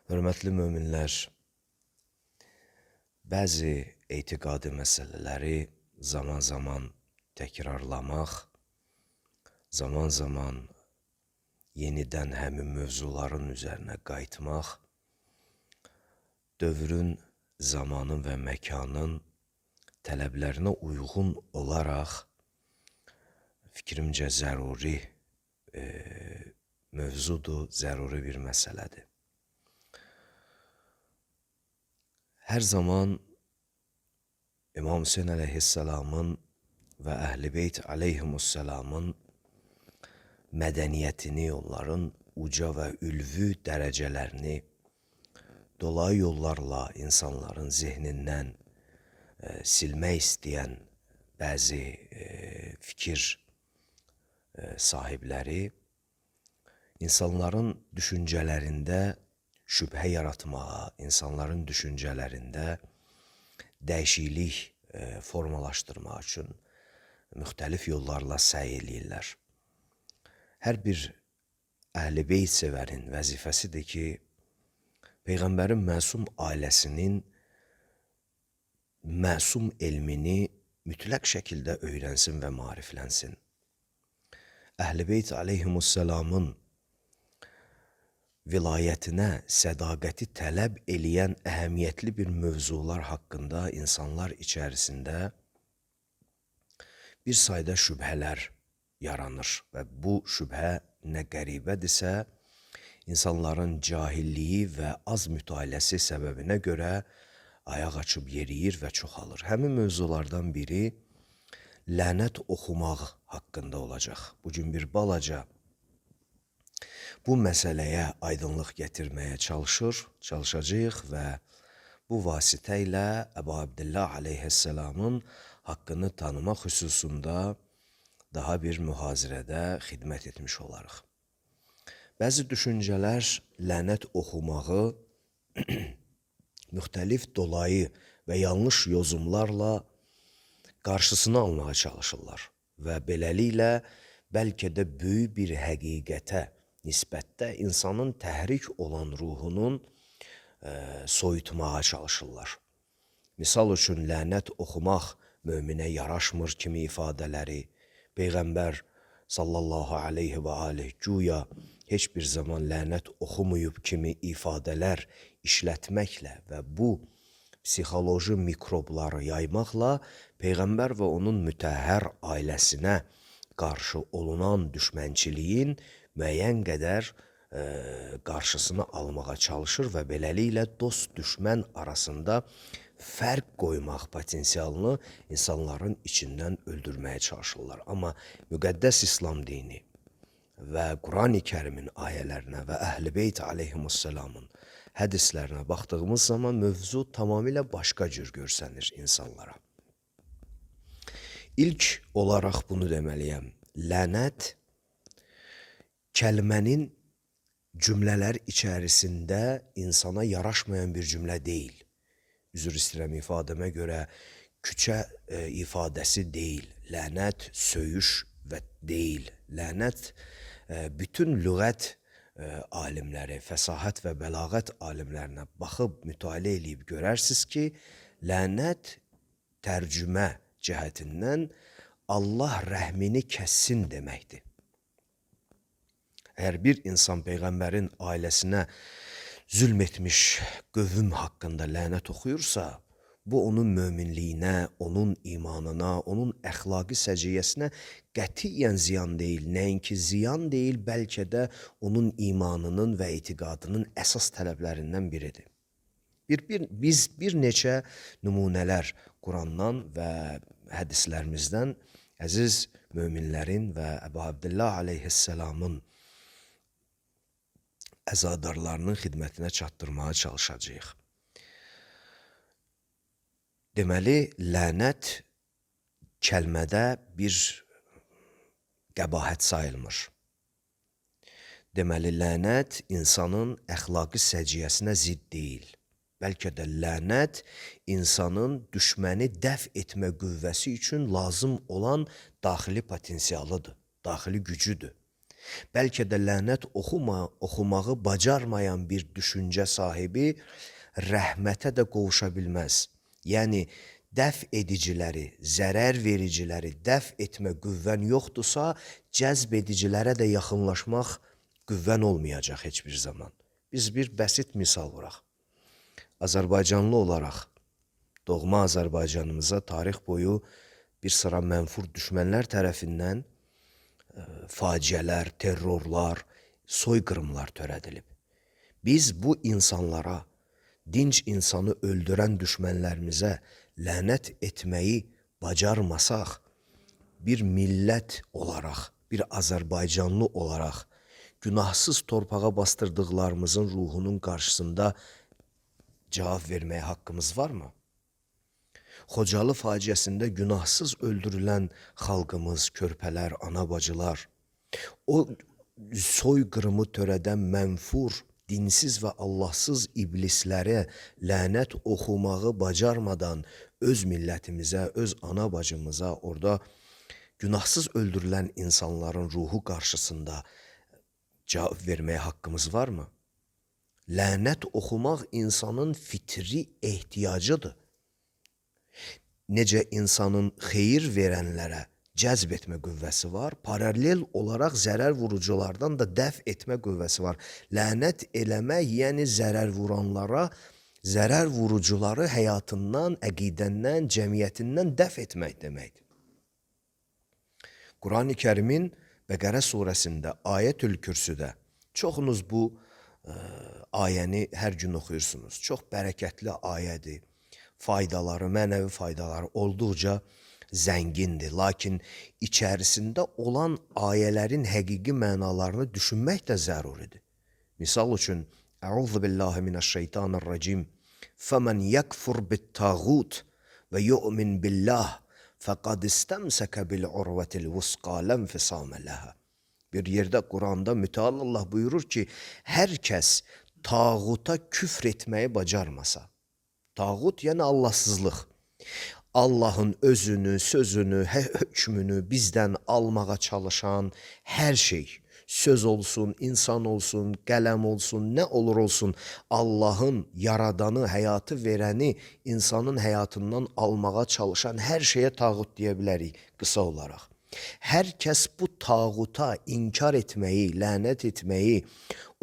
Hörmətli möminlər, bəzi etiqadi məsələləri zaman-zaman təkrarlamaq, zaman-zaman yenidən həmin mövzuların üzərinə qayıtmaq, dövrün, zamanın və məkanın tələblərinə uyğun olaraq fikrimcə zəruri mövzudur, zəruri bir məsələdir. Hər zaman İmam Hüseyin əleyhisselamın və Əhl-i Beyt əleyhimusselamın mədəniyyətini, onların uca və ülvü dərəcələrini dolayı yollarla insanların zehnindən silmək istəyən bəzi fikir sahibləri insanların düşüncələrində şübhə yaratmağa, insanların düşüncələrində dəyişiklik formalaşdırmaq üçün müxtəlif yollarla səy eləyirlər. Hər bir Əhl-i Beyt sevərin vəzifəsidir ki, Peyğəmbərin məsum ailəsinin məsum elmini mütləq şəkildə öyrənsin və maariflənsin. Əhl-i Beyt əleyhimusselamın vilayətinə sədaqəti tələb eləyən əhəmiyyətli bir mövzular haqqında insanlar içərisində bir sayda şübhələr yaranır və bu şübhə nə qəribədirsə, insanların cahilliyi və az mütaliəsi səbəbinə görə ayaq açıb yeriyir və çoxalır. Həmin mövzulardan biri lənət oxumaq haqqında olacaq. Bugün bir balaca bu məsələyə aydınlıq gətirməyə çalışacağıq və bu vasitə ilə Əbu Abdillah əleyhisselamın haqqını tanımaq xüsusunda daha bir mühazirədə xidmət etmiş olarıq. Bəzi düşüncələr lənət oxumağı müxtəlif dolayı və yanlış yozumlarla qarşısını almağa çalışırlar və beləliklə bəlkə də böyük bir həqiqətə nisbətdə insanın təhrik olan ruhunun soyutmağa çalışırlar. Misal üçün, lənət oxumaq möminə yaraşmır kimi ifadələri, Peyğəmbər sallallahu aleyhi və aleyh güya heç bir zaman lənət oxumayıb kimi ifadələr işlətməklə və bu psixoloji mikrobları yaymaqla Peyğəmbər və onun mütəhhər ailəsinə qarşı olunan düşmənçiliyin müəyyən qədər qarşısını almağa çalışır və beləliklə dost-düşmən arasında fərq qoymaq potensialını insanların içindən öldürməyə çalışırlar. Amma müqəddəs İslam dini və Qurani Kərimin ayələrinə və Əhl-i Beyt əleyhimusselamın hədislərinə baxdığımız zaman mövzu tamamilə başqa cür görsənir insanlara. İlk olaraq bunu deməliyəm. Lənət kəlmənin cümlələr içərisində insana yaraşmayan bir cümlə deyil. Üzr istəyirəm ifadəmə görə küçə ifadəsi deyil. Lənət söyüş və deyil. Lənət bütün lüğət alimləri, fəsahət və bəlağət alimlərinə baxıb mütaliə eləyib görərsiniz ki, lənət tərcümə cəhətindən Allah rəhmini kəssin deməkdir. Əgər bir insan Peyğəmbərin ailəsinə zülm etmiş qövüm haqqında lənət oxuyursa, bu onun möminliyinə, onun imanına, onun əxlaqi səciyyəsinə qətiyyən ziyan deyil. Nəinki ziyan deyil, bəlkə də onun imanının və etiqadının əsas tələblərindən biridir. Biz bir neçə nümunələr Qurandan və hədislərimizdən əziz möminlərin və Əbu Abdillah əleyhisselamın əzadarlarının xidmətinə çatdırmağa çalışacağıq. Deməli, lənət kəlmədə bir qəbahət sayılmır. Deməli, lənət insanın əxlaqi səciyyəsinə zidd deyil. Bəlkə də lənət insanın düşməni dəf etmə qüvvəsi üçün lazım olan daxili potensialıdır, daxili gücüdür. Bəlkə də lənət oxumağı bacarmayan bir düşüncə sahibi rəhmətə də qovuşa bilməz. Yəni, dəf ediciləri, zərər vericiləri dəf etmə qüvvən yoxdursa, cəzb edicilərə də yaxınlaşmaq qüvvən olmayacaq heç bir zaman. Biz bir bəsit misal vuraq. Azərbaycanlı olaraq doğma Azərbaycanımıza tarix boyu bir sıra mənfur düşmənlər tərəfindən faciələr, terrorlar, soyqırımlar törədilib. Biz bu insanlara, dinc insanı öldürən düşmənlərimizə lənət etməyi bacarmasaq, bir millət olaraq, bir Azərbaycanlı olaraq, günahsız torpağa bastırdıqlarımızın ruhunun qarşısında cavab verməyə haqqımız varmı? Xocalı faciəsində günahsız öldürülən xalqımız, körpələr, ana-bacılar, o soyqırımı törədən mənfur, dinsiz və Allahsız iblislərə lənət oxumağı bacarmadan öz millətimizə, öz ana-bacımıza, orada günahsız öldürülən insanların ruhu qarşısında cavab verməyə haqqımız varmı? Lənət oxumaq insanın fitri ehtiyacıdır. Necə insanın xeyir verənlərə cəzb etmə qüvvəsi var, paralel olaraq zərər vuruculardan da dəf etmə qüvvəsi var. Lənət eləmək, yəni zərər vuranlara, zərər vurucuları həyatından, əqidəndən, cəmiyyətindən dəf etmək deməkdir. Quran-ı Kərimin Bəqərə surəsində, Ayətül Kürsüdə çoxunuz bu ayəni hər gün oxuyursunuz. Çox bərəkətli ayədir. Faydaları, mənəvi faydaları olduqca zəngindir. Lakin içərisində olan ayələrin həqiqi mənalarını düşünmək də zəruridir. Misal üçün, Əuzu billahi minəşşeytanirracim. Fəmən yəkfur bit-tağut və yu'min billah fəqad istəmsəkə bil-urvətil vusqa lənfisamə ləhə. Bir yerdə Quranda mütəal Allah buyurur ki, hər kəs tağuta küfr etməyi bacarmasa, tağut yəni Allahsızlıq, Allahın özünü, sözünü, hökmünü bizdən almağa çalışan hər şey, söz olsun, insan olsun, qələm olsun, nə olur olsun, Allahın yaradanı, həyatı verəni insanın həyatından almağa çalışan hər şeyə tağut deyə bilərik qısa olaraq. Hər kəs bu tağuta inkar etməyi, lənət etməyi,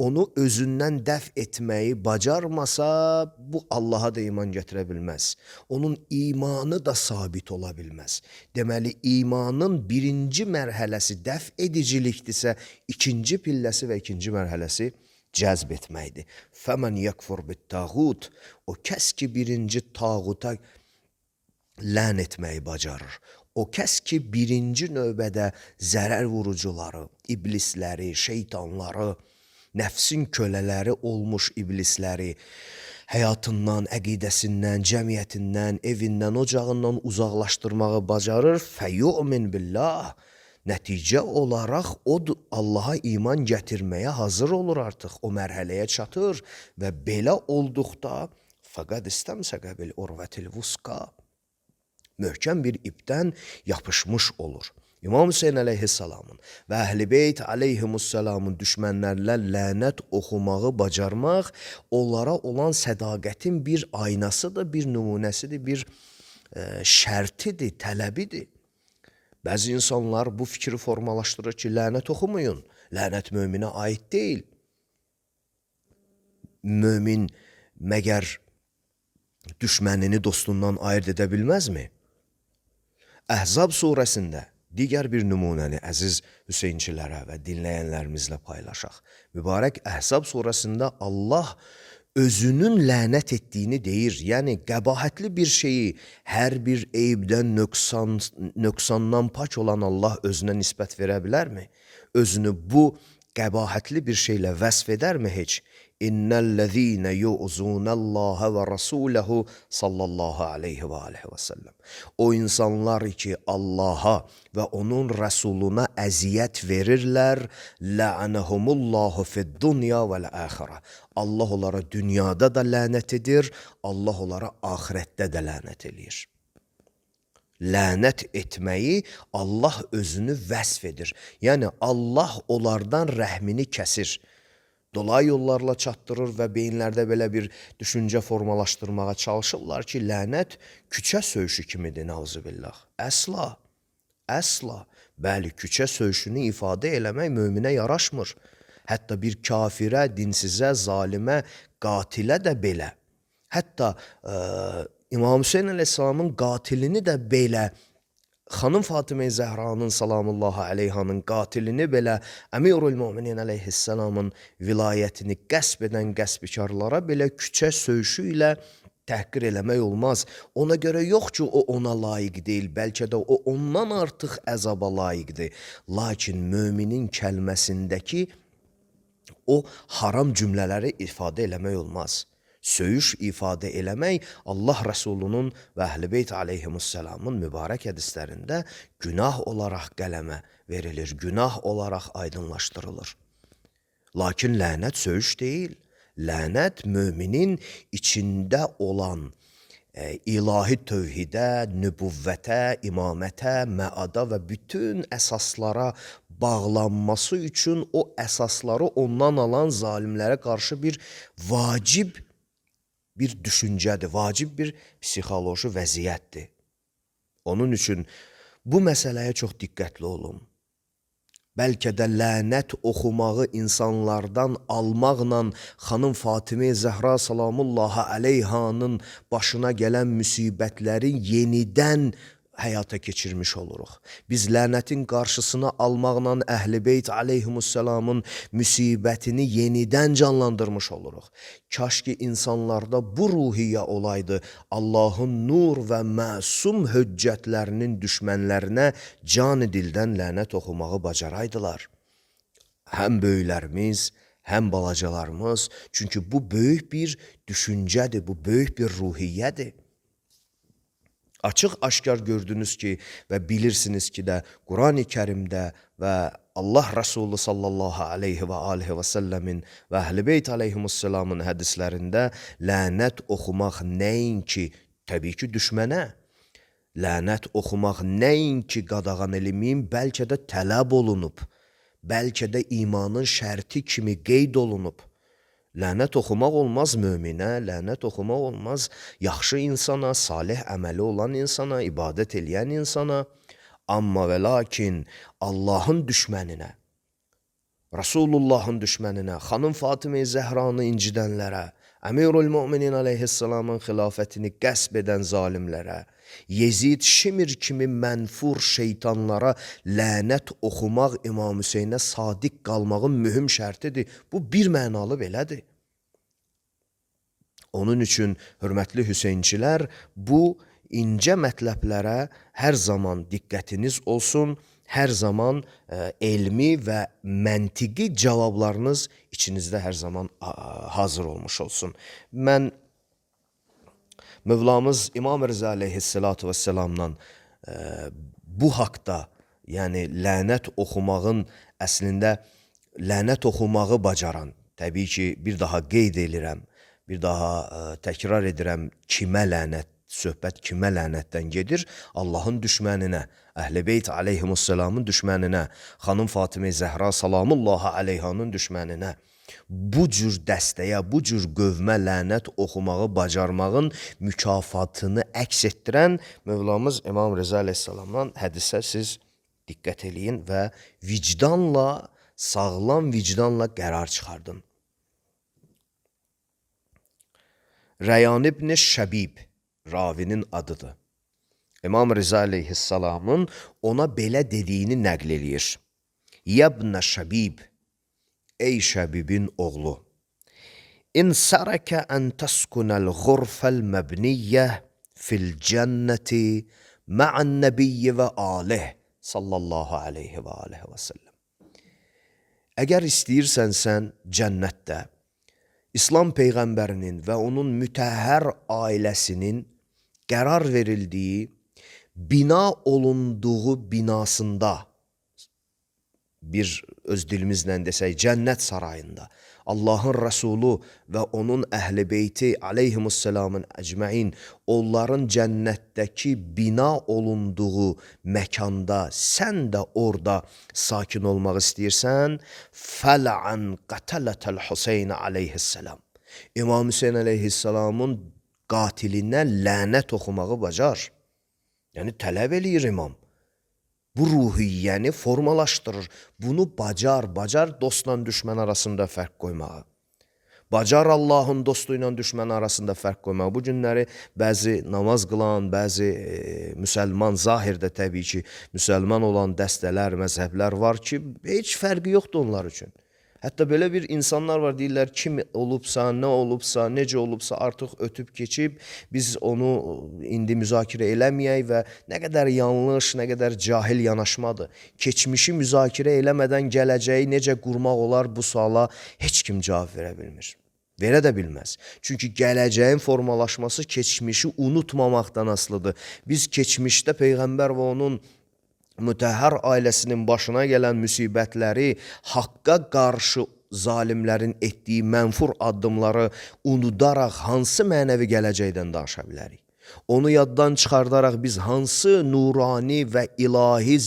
onu özündən dəf etməyi bacarmasa, bu Allaha da iman gətirə bilməz. Onun imanı da sabit ola bilməz. Deməli, imanın birinci mərhələsi dəf edicilikdirsə, ikinci pilləsi və ikinci mərhələsi cəzb etməkdir. Fəmən yəkfur bit-tağut, o kəs ki birinci tağuta lən etməyi bacarır. O kəs ki birinci növbədə zərər vurucuları, iblisləri, şeytanları, nəfsin kölələri olmuş iblisləri həyatından, əqidəsindən, cəmiyyətindən, evindən, ocağından uzaqlaşdırmağı bacarır. Fəyu'min billah. Nəticə olaraq o Allaha iman gətirməyə hazır olur artıq. O mərhələyə çatır və belə olduqda fəqad istəmsəkə bil urvətil vusqa. Möhkəm bir ipdən yapışmış olur. İmam Hüseyin əleyhissalamın və Əhl-i Beyt əleyhimussalamın düşmənlərlə lənət oxumağı bacarmaq onlara olan sədaqətin bir aynasıdır, bir nümunəsidir, bir şərtidir, tələbidir. Bəzi insanlar bu fikri formalaşdırır ki, lənət oxumayın, lənət möminə aid deyil. Mömin məgər düşmənini dostundan ayırt edə bilməzmi? Əhzab surəsində digər bir nümunəni əziz Hüseynçilərə və dinləyənlərimizlə paylaşaq. Mübarək Əhzab surəsində Allah özünün lənət etdiyini deyir. Yəni, qəbahətli bir şeyi, hər bir eybdən, nöqsandan pak olan Allah özünə nisbət verə bilərmi? Özünü bu qəbahətli bir şeylə vəsf edərmi heç? İnnellezîne yu'zûnallâhe ve rasûlehu sallallahu aleyhi ve aleyhi ve sellem. O insanlar ki Allah'a və onun Rəsuluna əziyyət verirlər, la'anahumullahu fid-dunya vel-âxirə. Allah onlara dünyada da lənət edir, Allah onlara axirətdə də lənət edir. Lənət etməyi Allah özünü vəsf edir. Yəni Allah onlardan rəhmini kəsir. Dolayı yollarla çatdırır və beyinlərdə belə bir düşüncə formalaşdırmağa çalışırlar ki, lənət küçə söyüşü kimidir, nauzubillah. Əsla, əsla. Bəli, küçə söyüşünü ifadə eləmək möminə yaraşmır. Hətta bir kafirə, dinsizə, zalimə, qatilə də belə. Hətta İmam Hüseyin əleyhissalamın qatilini də belə, xanım Fatimə Zəhranın salamullahi aleyhanın qatilini belə, Əmirül Müminin əleyhissalamın vilayətini qəsb edən qəsbkarlara belə küçə söyüşü ilə təhqir eləmək olmaz. Ona görə yox ki, o ona layiq deyil, bəlkə də o ondan artıq əzaba layiqdir. Lakin müminin kəlməsindəki o haram cümlələri ifadə eləmək olmaz. Söyüş ifadə eləmək Allah Rəsulunun və Əhl-i Beyt aleyhimussalamın mübarək hədislərində günah olaraq qələmə verilir, günah olaraq aydınlaşdırılır. Lakin lənət söyüş deyil. Lənət müminin içində olan ilahi tövhidə, nübüvvətə, imamətə, məada və bütün əsaslara bağlanması üçün o əsasları ondan alan zalimlərə qarşı bir vacib bir düşüncədir, vacib bir psixoloji vəziyyətdir. Onun üçün bu məsələyə çox diqqətli olun. Bəlkə də lənət oxumağı insanlardan almaqla xanım Fatimə Zəhra salamullahi aleyhanın başına gələn müsibətləri yenidən həyata keçirmiş oluruq. Biz lənətin qarşısını almaqla Əhl-i Beyt aleyhimussalamın müsibətini yenidən canlandırmış oluruq. Kaş ki insanlarda bu ruhiyyə olaydı, Allahın nur və məsum höccətlərinin düşmənlərinə can-ı dildən lənət oxumağı bacaraydılar. Həm böyüklərimiz, həm balacalarımız, çünki bu böyük bir düşüncədir, bu böyük bir ruhiyyədir. Açıq aşkar gördünüz ki və bilirsiniz ki də Qurani Kərimdə və Allah Rəsulü sallallahu aleyhi və aleyhi və səlləmin və Əhl-i Beyt aleyhimussalamın hədislərində lənət oxumaq nəinki, təbii ki düşmənə, lənət oxumaq nəinki qadağan elmiyim, bəlkə də tələb olunub, bəlkə də imanın şərti kimi qeyd olunub. Lənət oxumaq olmaz möminə, lənət oxumaq olmaz yaxşı insana, salih əməli olan insana, ibadət eləyən insana. Amma və lakin Allahın düşməninə, Rasulullahın düşməninə, xanım Fatimə Zəhranı incidənlərə, Əmirül Müminin aleyhissalamın xilafətini qəsb edən zalimlərə, Yezid Şimir kimi mənfur şeytanlara lənət oxumaq İmam Hüseynə sadiq qalmağın mühüm şərtidir. Bu bir mənalı belədir. Onun üçün, hörmətli Hüseynçilər, bu incə mətləblərə hər zaman diqqətiniz olsun, hər zaman elmi və məntiqi cavablarınız içinizdə hər zaman hazır olmuş olsun. Mən Mövlamız İmam Rıza aleyhissalatu vesselamdan bu haqda, yəni lənət oxumağın əslində lənət oxumağı bacaran, təbii ki bir daha qeyd edirəm, bir daha təkrar edirəm, kimə lənət, söhbət kimə lənətdən gedir? Allahın düşməninə, Əhl-i Beyt aleyhimussalamın düşməninə, xanım Fatimə Zəhra salamullahi aleyhanın düşməninə. Bu cür dəstəyə, bu cür qövmə lənət oxumağı bacarmağın mükafatını əks etdirən Mövlamız İmam Rıza aleyhissalamdan hədisə siz diqqət eləyin və vicdanla, sağlam vicdanla qərar çıxardın. Rəyan ibn Şəbib ravinin adıdır. İmam Rıza aleyhissalamın ona belə dediyini nəql eləyir. Yəbnə Şəbib, ey Şəbibin oğlu, İn sərəkə ən təskunəl ğurfəl məbniyyə fil cənnəti mə'ən nəbiyyə və alih sallallahu aleyhi və aleyhi və səlləm. Əgər istəyirsən sən cənnətdə İslam Peyğəmbərinin və onun mütəhhər ailəsinin qərar verildiyi, bina olunduğu binasında, bir öz dilimizlə desək, cənnət sarayında, Allahın Rəsulu və onun əhl-i beyti aleyhimusselamın əcməin onların cənnətdəki bina olunduğu məkanda sən də orada sakin olmaq istəyirsən, fələn qətələtəl Hüseyn aleyhisselam. İmam Hüseyn aleyhisselamın qatilinə lənət oxumağı bacar. Yəni tələb eləyir imam. Bu ruhiyyəni formalaşdırır. Bunu bacar dostla düşmən arasında fərq qoymağı. Bacar Allahın dostu ilə düşmən arasında fərq qoymağı. Bu günləri bəzi namaz qılan, bəzi müsəlman, zahirdə təbii ki, müsəlman olan dəstələr, məzhəblər var ki, heç fərqi yoxdur onlar üçün. Hətta belə bir insanlar var, deyirlər, kim olubsa, nə olubsa, necə olubsa artıq ötüb keçib, biz onu indi müzakirə eləməyək və nə qədər yanlış, nə qədər cahil yanaşmadır. Keçmişi müzakirə eləmədən gələcəyi necə qurmaq olar bu suala heç kim cavab verə bilmir. Verə də bilməz. Çünki gələcəyin formalaşması keçmişi unutmamaqdan asılıdır. Biz keçmişdə Peyğəmbər və onun Mütəhhər ailəsinin başına gələn müsibətləri, haqqa qarşı zalimlərin etdiyi mənfur addımları unudaraq hansı mənəvi gələcəkdən danışa bilərik? Onu yaddan çıxardaraq biz hansı nurani və ilahi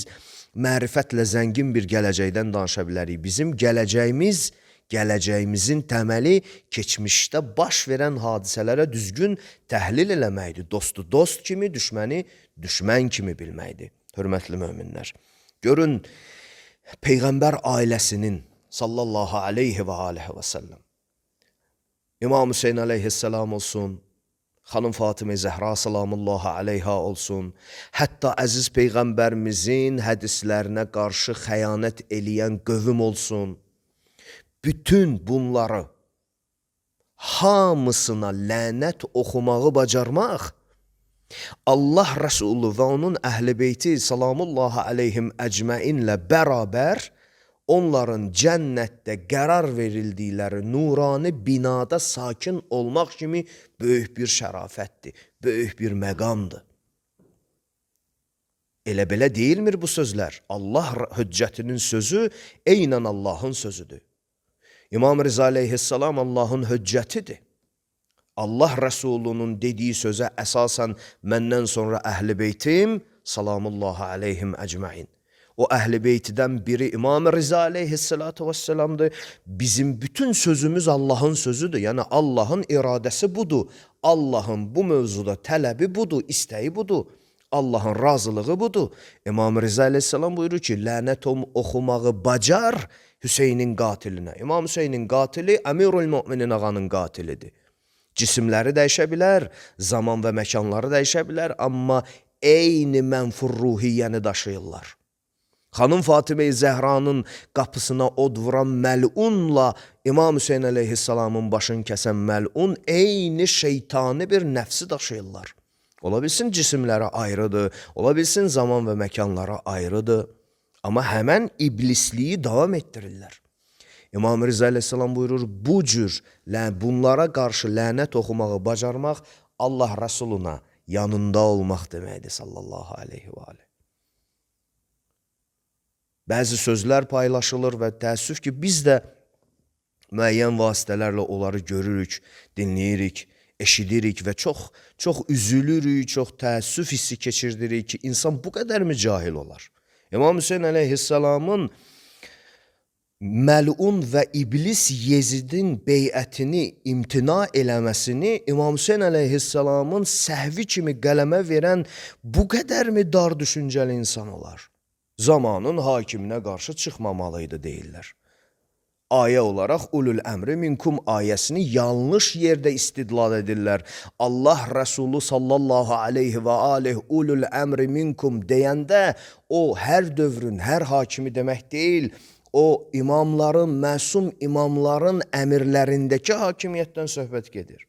mərifətlə zəngin bir gələcəkdən danışa bilərik? Bizim gələcəyimizin təməli keçmişdə baş verən hadisələrə düzgün təhlil eləməkdir. Dostu dost kimi, düşməni düşmən kimi bilməkdir. Hörmətli möminlər, görün Peyğəmbər ailəsinin sallallahu aleyhi və aleyhi və səlləm, İmam Hüseyn aleyhisselam olsun, xanım Fatimə Zəhra salamullahi aleyha olsun, hətta əziz Peyğəmbərimizin hədislərinə qarşı xəyanət eləyən qövüm olsun, bütün bunları hamısına lənət oxumağı bacarmaq, Allah Rəsulü və onun əhl-i beyti salamullahi aleyhim əcməinlə bərabər onların cənnətdə qərar verildikləri nurani binada sakin olmaq kimi böyük bir şərafətdir, böyük bir məqamdır. Elə belə deyilmir bu sözlər. Allah hüccətinin sözü eynən Allahın sözüdür. İmam Rıza aleyhisselam Allahın hüccətidir. Allah Rəsulunun dediyi sözə əsasən məndən sonra əhl-i beytim salamullahi aleyhim əcməin. O əhl-i beytidən biri İmam Rıza aleyhissalatu vesselamdır. Bizim bütün sözümüz Allahın sözüdür. Yəni Allahın iradəsi budur. Allahın bu mövzuda tələbi budur, istəyi budur. Allahın razılığı budur. İmam Rıza aleyhissalam buyurur ki, lənət oxumağı bacar Hüseynin qatilinə. İmam Hüseynin qatili Əmirul Müminin ağanın qatilidir. Cisimləri dəyişə bilər, zaman və məkanları dəyişə bilər, amma eyni mənfur ruhiyyəni daşıyırlar. Xanım Fatimə Zəhranın qapısına od vuran məlunla İmam Hüseyn aleyhissalamın başını kəsən məlun eyni şeytani bir nəfsi daşıyırlar. Ola bilsin cisimləri ayrıdır, ola bilsin zaman və məkanları ayrıdır, amma həmən iblisliyi davam etdirirlər. İmam Rıza aleyhissalam buyurur, bu cür bunlara qarşı lənət oxumağı bacarmaq Allah Rəsuluna yanında olmaq deməkdir sallallahu aleyhi və aleyhi. Bəzi sözlər paylaşılır və təəssüf ki, biz də müəyyən vasitələrlə onları görürük, dinləyirik, eşidirik və çox üzülürük, çox təəssüf hissi keçirdirik ki, insan bu qədərmi cahil olar? İmam Hüseyn aleyhissalamın məlun və iblis Yezidin beyətini imtina eləməsini İmam Hüseyn aleyhissalamın səhvi kimi qələmə verən bu qədərmi dar düşüncəli insan olar? Zamanın hakiminə qarşı çıxmamalıydı deyirlər. Ayə olaraq ulul əmri minkum ayəsini yanlış yerdə istidlal edirlər. Allah Rəsulü sallallahu aleyhi və aleyh ulul əmri minkum deyəndə o hər dövrün, hər hakimi demək deyil, o imamların, məsum imamların əmirlərindəki hakimiyyətdən söhbət gedir.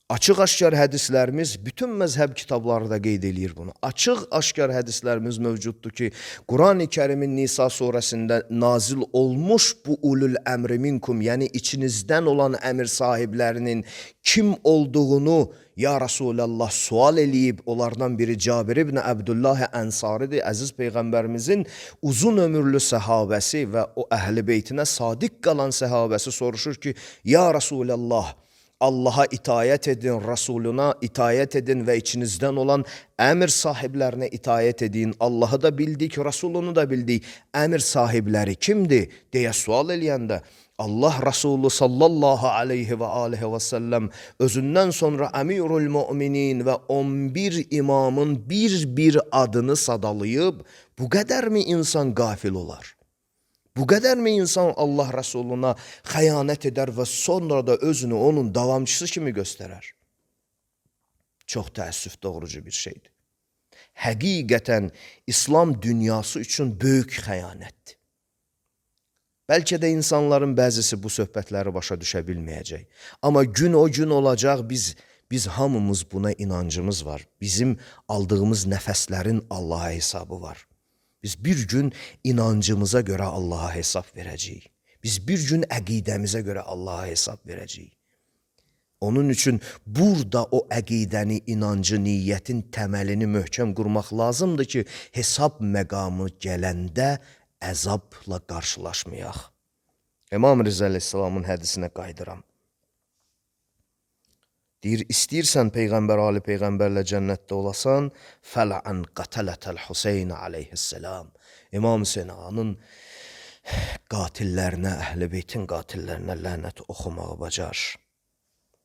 Açıq-aşkar hədislərimiz, bütün məzhəb kitabları da qeyd eləyir bunu. Açıq-aşkar hədislərimiz mövcuddur ki, Qurani Kərimin Nisa surəsində nazil olmuş bu ulul əmri minkum, yəni içinizdən olan əmir sahiblərinin kim olduğunu ya Rasulallah sual eləyib, onlardan biri Cabir ibn Əbdullah Ənsaridir, əziz Peyğəmbərimizin uzun ömürlü səhabəsi və o əhl-i beytinə sadiq qalan səhabəsi soruşur ki, ya Rasulallah, Allaha itayət edin, Rasuluna itayət edin və içinizdən olan əmir sahiblərinə itayət edin. Allahı da bildik, Rasulunu da bildik. Əmir sahibləri kimdir deyə sual eləyəndə Allah Rasulü sallallahu aleyhi və aleyhi və səlləm özündən sonra əmirul müminin və 11 imamın bir adını sadalayıb, bu qədərmi insan qafil olar? Bu qədərmi insan Allah Rasuluna xəyanət edər və sonra da özünü onun davamçısı kimi göstərər? Çox təəssüf doğrucu bir şeydir. Həqiqətən İslam dünyası üçün böyük xəyanətdir. Bəlkə də insanların bəzisi bu söhbətləri başa düşə bilməyəcək. Amma gün o gün olacaq, biz hamımız buna inancımız var. Bizim aldığımız nəfəslərin Allaha hesabı var. Biz bir gün inancımıza görə Allaha hesab verəcəyik. Biz bir gün əqidəmizə görə Allaha hesab verəcəyik. Onun üçün burada o əqidəni, inancı, niyyətin təməlini möhkəm qurmaq lazımdır ki, hesab məqamı gələndə əzabla qarşılaşmayaq. İmam Rıza əleyhissalamın hədisinə qayıdıram. Deyir, istəyirsən Peyğəmbər, Ali Peyğəmbərlə cənnətdə olasan, fələn qatələtəl Hüseyn aleyhisselam. İmam Hüseyn'in qatillerinə, əhl-i beytin qatillərinə lənət oxumağı bacar.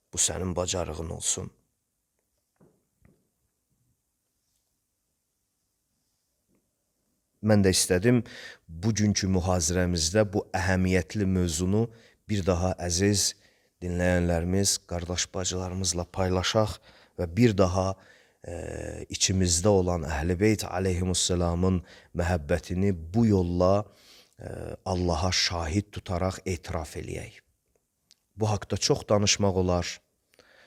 Bu sənin bacarığın olsun. Mən də istədim bugünkü mühazirəmizdə bu əhəmiyyətli mövzunu bir daha əziz dinləyənlərimiz, qardaş bacılarımızla paylaşaq və bir daha içimizdə olan Əhl-i Beyt aleyhimussalamın məhəbbətini bu yolla Allaha şahid tutaraq etiraf eləyək. Bu haqda çox danışmaq olar,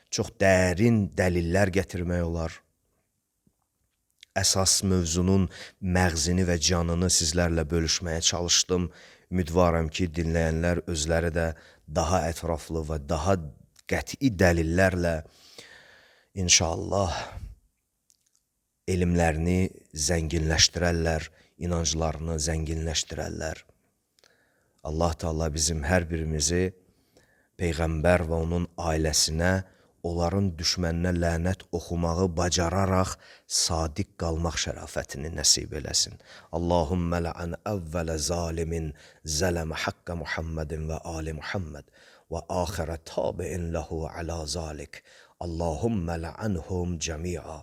çox dərin dəlillər gətirmək olar. Əsas mövzunun məğzini və canını sizlərlə bölüşməyə çalışdım. Ümidvaram ki, dinləyənlər özləri də daha ətraflı və daha qəti dəlillərlə inşallah elmlərini zənginləşdirərlər, inanclarını zənginləşdirərlər. Allah Teala bizim hər birimizi Peyğəmbər və onun ailəsinə, onların düşməninə lənət oxumağı bacararaq sadiq qalmaq şərafətini nəsib eləsin. Allahümmə lə'ən əvvələ zalimin zələmə haqqə Muhammedin və ali Muhammed və axirə tabi'in ləhu alə zalik. Allahümmə lə'ənhum cəmi'a